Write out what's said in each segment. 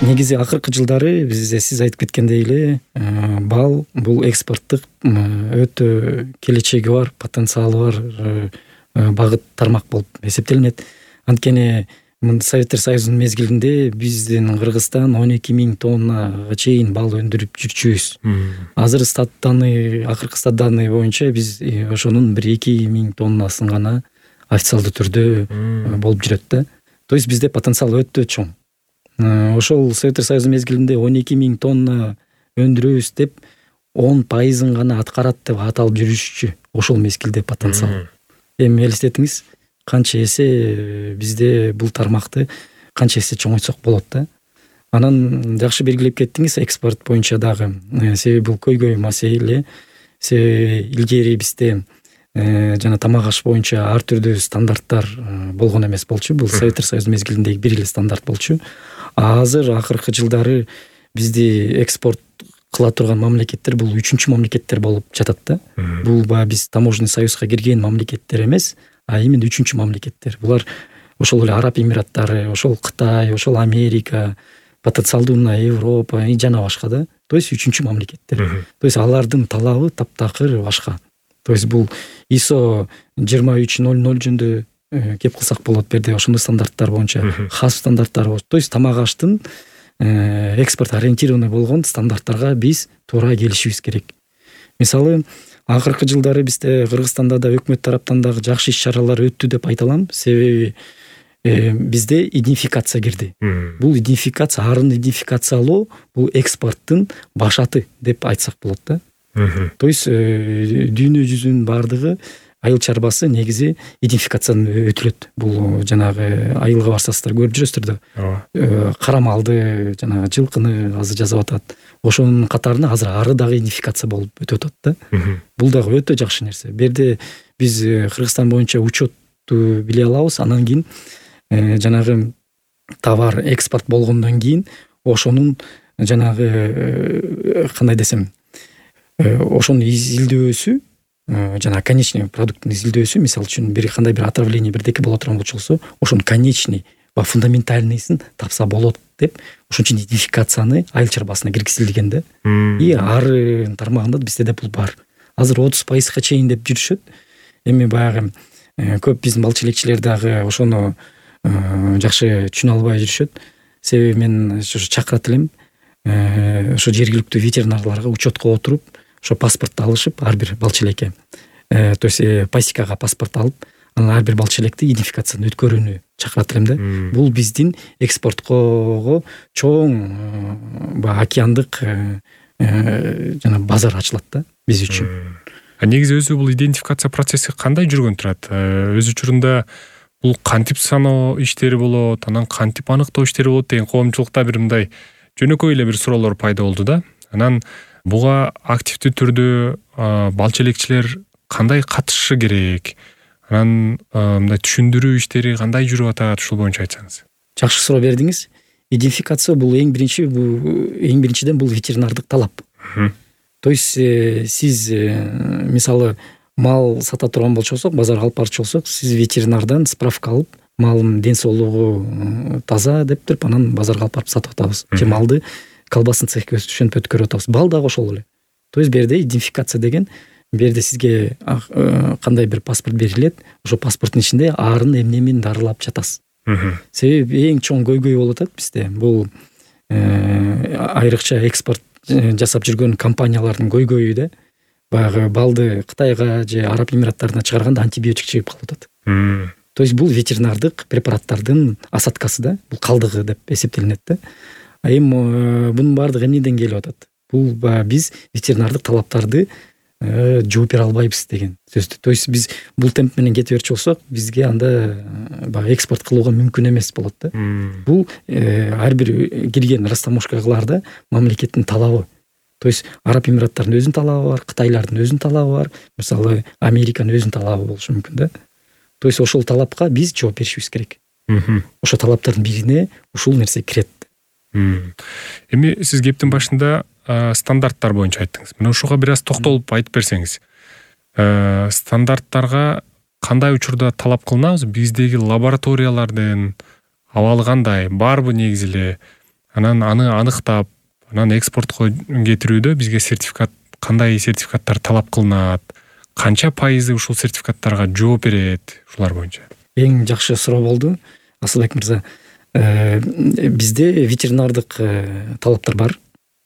Негизи акыркы жылдары сиз айтып кеткендей эле бал бул экспорттук өтө келечеги бар, потенциалы бар багыт тармак болуп эсептелинет. Анткени Советтер Союзунун мезгилинде биздин Кыргызстан 12.000 тоннага чейин бал өндүрүп жүрчүбүз. Азыр акыркы стат данные боюнча биз ошонун 1-2.000 тоннасын гана официалдуу түрдө болуп жүрөт да. То есть бизде потенциал өтө чоң. Ошол Советтер Союзу мезгилинде 12.000 тонна өндүрөбүз деп 10% гана аткарат деп аталып жүрүшчү ошол мезгилде потенциал. Эми элестетиңиз, канча эсе бизде бул тармакты канча эсе чоңойтсок болот да. Анан жакшы белгилеп кеттиңиз экспорт боюнча дагы. Себеби бул көйгөй маселе. Илгери бизде жана тамак аш боюнча ар түрдүү стандарттар болгон эмес болчу. Бул Советтер Союзу мезгилиндеги бир эле стандарт болчу. Азыр акыркы жылдары бизди экспорт кыла турган мамлекеттер бул 3-чү мамлекеттер болуп жатат да. Бул биз таможенный союзга кирген мамлекеттер эмес, а именно 3-чү мамлекеттер. Булар ошол эле Араб Эмираттары, ошол Кытай, ошол Америка, потенциалдуу Европа жана башка да. То есть 3-чү мамлекеттер. То есть алардын талабы таптакыр башка. То есть бул ISO 2300 жөнүндө кеп кылсак болот, берде ошондой стандарттар боюнча хас стандарттар болот. То есть тамак аштын экспорт ориентированный болгон стандарттарга биз туура келишибиз керек. Мисалы, акыркы жылдары бизде Кыргызстанда да өкмөт тараптан дагы жакшы иш-чаралар өттү деп айта алам. Себеби бизде идентификация кирди. Бул идентификация, арын идентификациялоо бул экспорттун башаты деп айтсак болот да. То есть дүйнө жүзүнүн бардыгы айыл чарбасы негизи идентификациядан өтүлөт. Бул жанагы айылга барсаңыздар көрүп жүрөсүздөр да. Кара малды, жанагы жылкыны азыр жасап атат. Ошонун катарына азыр ары дагы идентификация болуп өтүп атат да. Бул дагы өтө жакшы нерсе. Берде биз Кыргызстан боюнча учетту биле алабыз. Анан кийин жанагы товар экспорт болгондон кийин ошонун жанагы кандай десем, ошонун изилдөөсү, жана конечный продукттун изилдөөсү, мисалы үчүн кандай бир отравление бирдеке боло турган болчу, ошонун конечный фундаментальныйсын тапса болот деп ошон үчүн идентификацияны айыл чарбасына киргизилген да. И ар тармагында бизде да бул бар. Азыр 30%га чейин деп жүрүшөт. Эми баягы көп биздин балчы элекчилер дагы ошону жакшы түшүнө албай жүрүшөт. Себеби мен ошо чакырат элем, ошо жергиликтүү ветеринарларга учетко отуруп, ошо паспортту алышып, ар бир балчы элекке, то есть пасекага паспорт алып, анан ар бир балчы электи идентификациядан өткөрүүнү чакырат элем да. Бул биздин экспорткого чоң океандык жана базар ачылат да биз үчүн. Негизи өзү бул идентификация процесси кандай жүргөн турат? Өз учурунда бул кантип саноо иштери болот, анан кантип аныктоо иштери болот деген коомчулукта бир мындай жөнөкөй эле бир суроолор пайда болду да. Анан буга активдүү түрдө балчы элекчилер кандай катышышы керек? Анан мындай түшүндүрүү иштери кандай жүрүп атат, ушул боюнча айтсаңыз. Жакшы суроо бердиңиз. Идентификация бул эң биринчиден бул ветеринардык талап. То есть сиз мисалы мал сата турган болчосок, базарга алып барчу болсок, сиз ветеринардан справка алып, малдын ден соолугу таза деп туруп, анан базарга алып барып сатып атабыз. Же малды колбасын цехке ошентип өткөрүп атабыз. Бал дагы ошол эле. То есть берде идентификация деген, берде сизге кандай бир паспорт берилет, ошо паспорттун ичинде арын эмне-эмнени дарылап жатасыз. Себеби эң чоң көйгөй болуп атат бизде. Бул айрыкча экспорт жасап жүргөн компаниялардын көйгөйү да. Баягы балды Кытайга же Араб Эмираттарына чыгарганда антибиотик чыгып калып атат. То есть бул ветеринардык препараттардын осадкасы да, бул калдыгы деп эсептелинет да. Эми бунун баардыгы эмнеден келип атат? Бул биз ветеринардык талаптарды жооп бере албайбыз деген сөздү. То есть биз бул темп менен кете берчү болсок, бизге анда экспорт кылууга мүмкүн эмес болот да. Бул ар бир кирген растаможкаларда мамлекеттин талабы. То есть Араб Эмираттарынын өзүнүн талабы бар, Кытайлардын өзүнүн талабы бар, мисалы Американын өзүнүн талабы болушу мүмкүн да. То есть ошол талапка биз жооп беришибиз керек. Ошо талаптардын бирине ушул нерсе кирет. Эми сиз кептин башында стандарттар боюнча айттыңыз. Мына ушуга бир аз токтолуп айтып берсеңиз. Стандарттарга кандай учурда талап кылынабыз? Биздеги лабораториялардын абалы кандай? Барбы негизи эле? анан аны аныктап анан экспортко кетирүүдө бизге сертификат, кандай сертификаттар талап кылынат, канча пайызы ушул сертификаттарга жооп берет, ушулар боюнча? Эң жакшы суроо болду, Асылбек мырза. Бизде ветеринардык талаптар бар.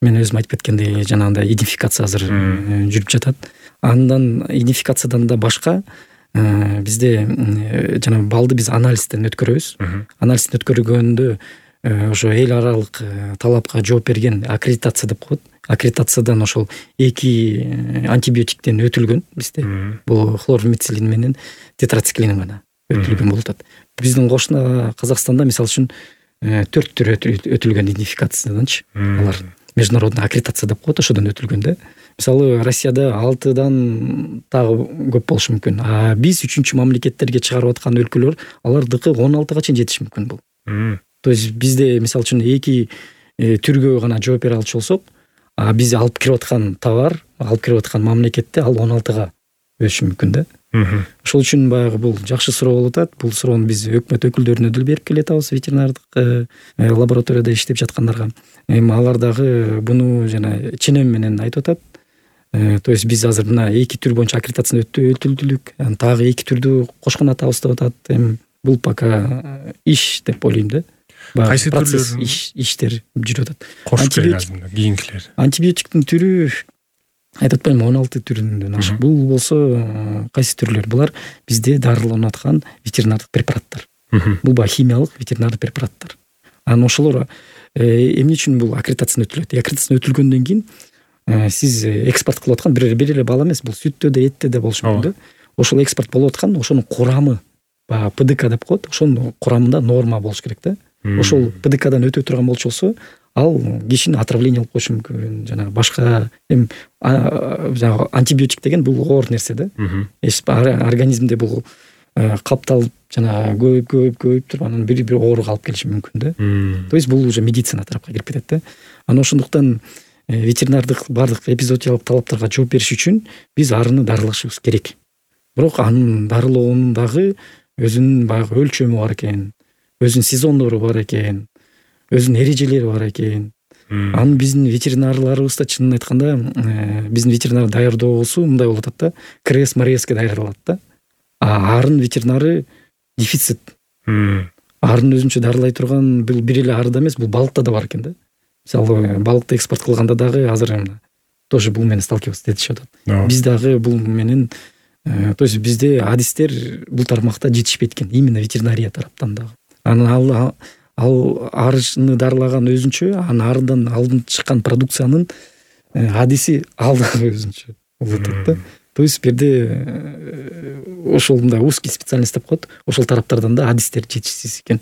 Мен өзүм айтып кеткендей, жанагындай идентификация азыр жүрүп жатат. Андан идентификациядан да башка бизде жана балды биз анализден өткөрөбүз. Анализден өткөргөндө ошо эл аралык талапка жооп берген аккредитация деп коет. Аккредитациядан ошол 2 антибиотиктен өтүлгөн бизде. Бул хлорметилин менен тетрациклин гана өтүлгөн болуп атат. Биздин кошуна Казакстанда мисалы үчүн 4 түр өтүлгөн идентификацияданчы. Алар международный аккредитация деп коет, ошодон өтүлгөн да. Мисалы Россияда 6дан дагы көп болушу мүмкүн. А биз 3-чү мамлекеттерге чыгарып аткан өлкөлөр алардыкы 16га чейин жетиши мүмкүн бул. То есть бизде мисалы үчүн 2 түргө гана жооп бере алчу болсок, а биз алып кирип аткан товар, алып кирип аткан мамлекетте ал 16га өсүшү мүмкүн да. Ошол үчүн баягы бул жакшы суроо болуп атат. Бул суроону биз өкмөт өкүлдөрүнө деле берип келатабыз, ветеринардык лабораторияда иштеп жаткандарга. Эми алар дагы буну жана ченем менен айтып атат. То есть биз азыр мына 2 түр боюнча аккредитацияны өтүлдүк. Дагы 2 түрдү кошкон атабыз деп атат. Эми бул пока иш деп ойлойм да. Кайсы процесс иштер жүрүп атат. Кийинкилер. Антибиотиктин түрү айтып атпайм, 16 түрүнөн ашык. Бул болсо кайсы түрлөр? Булар бизде дарыланып аткан ветеринардык препараттар. Бул химиялык ветеринардык препараттар. Анан ошолор эмне үчүн бул аккредитацияны өтүлөт? Аккредитацияны өтүлгөндөн кийин сиз экспорт кылып аткан бир эле бала эмес, бул сүттө да, этте да болушу мүмкүн да. Ошол экспорт болуп аткан, ошонун курамы, ПДК деп коет, ошонун курамында норма болуш керек да. Ошол ПДКдан өтө турган болчу, ал кишини отравление алып коюшу мүмкүн. Жана башка жанагы антибиотик деген бул оор нерсе да. Организмде бул капталып жана көбөйүп туруп анан бир ооруга алып келиши мүмкүн да. То есть бул уже медицина тарапка кирип кетет да. Анан ошондуктан ветеринардык бардык эпизоотиялык талаптарга жооп бериш үчүн биз арыны дарылашыбыз керек. Бирок анын дарылоонун дагы өзүнүн баягы өлчөмү бар экен, өзүнүн сезондору бар экен, өзүнүн эрежелери бар экен. Анын биздин ветеринарларыбыз да чынын айтканда биздин ветеринар даярдоосу мындай болуп атат да, КРС-МРСке даярдалат да. Арын ветеринары дефицит. Арын өзүнчө дарылай турган бул бир эле арыда эмес, бул балыкта да бар экен да. Мисалы балыкты экспорт кылганда дагы азыр тоже бул менен сталкиваться этишип атат. Биз дагы бул менен, то есть бизде адистер бул тармакта жетишпейт экен, именно ветеринария тараптан дагы. Анан ал арыны дарылаган өзүнчө, анан арыдан алдын чыккан продукциянын адиси ал дагы өзүнчө болуп атат да. То есть бирде ошол мындай узкий специальность деп коет, ошол тараптардан да адистер жетишсиз экен.